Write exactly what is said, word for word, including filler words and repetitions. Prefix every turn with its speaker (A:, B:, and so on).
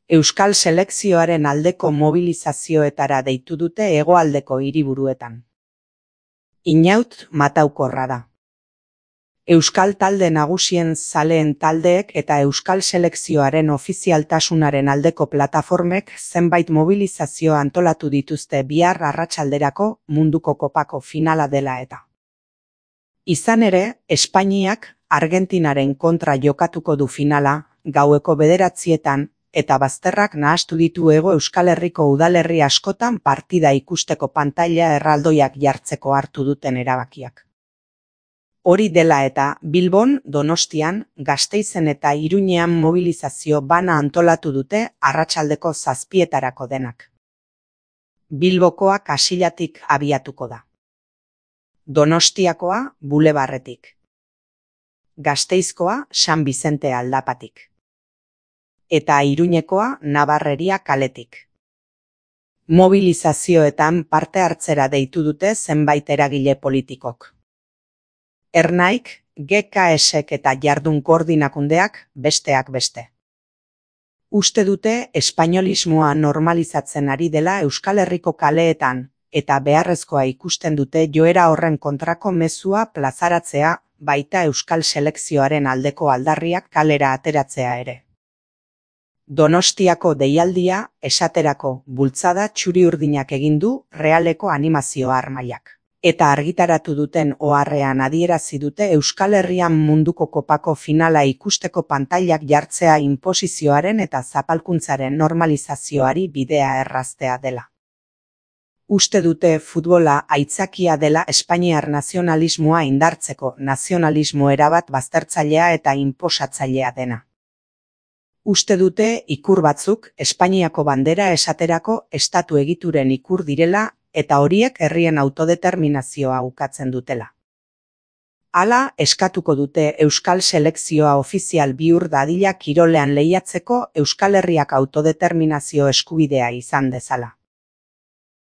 A: Euskal selekzioaren aldeko mobilizazioetara deitu dute hegoaldeko hiriburuetan. Inaut mataukorra da. Euskal talde nagusien zaleen taldeek eta Euskal selekzioaren ofizialtasunaren aldeko plataformek zenbait mobilizazio antolatu dituzte bihar arratsalderako munduko kopako finala dela eta. Izan ere, Espainiak Argentinaren kontra jokatuko du finala, gaueko bederatzietan, eta bazterrak nahastu ditu Hego Euskal Herriko udalerri askotan partida ikusteko pantaila erraldoiak jartzeko hartu duten erabakiak. Hori dela eta Bilbon, Donostian, Gasteizen eta Iruñean mobilizazio bana antolatu dute arratsaldeko zazpietarako denak. Bilbokoa Kasillatik abiatuko da. Donostiakoa Bulebarretik. Gasteizkoa San Bizente aldapatik. Eta Iruñekoa Nabarreria kaletik. Mobilizazioetan parte hartzera deitu dute zenbait eragile politikok. Ernaik, G K S-ek eta Jardun Koordinakundeak besteak beste. Uste dute espainolismoa normalizatzen ari dela Euskal Herriko kaleetan, eta beharrezkoa ikusten dute joera horren kontrako mezua plazaratzea, baita Euskal selekzioaren aldeko aldarriak kalera ateratzea ere. Donostiako deialdia, esaterako, bultzada txuri-urdinak egin du Realeko animazio armailak. Eta argitaratu duten oharrean adierazi dute Euskal Herrian munduko kopako finala ikusteko pantailak jartzea inposizioaren eta zapalkuntzaren normalizazioari bidea erraztea dela. Uste dute futbola aitzakia dela espainiar nazionalismoa indartzeko nazionalismo erabat baztertzailea eta inposatzailea dena. Uste dute ikur batzuk Espainiako bandera esaterako estatu egituren ikur direla eta horiek herrien autodeterminazioa ukatzen dutela. Hala eskatuko dute Euskal selekzioa ofizial bihur dadila kirolean lehiatzeko Euskal Herriak autodeterminazio eskubidea izan dezala.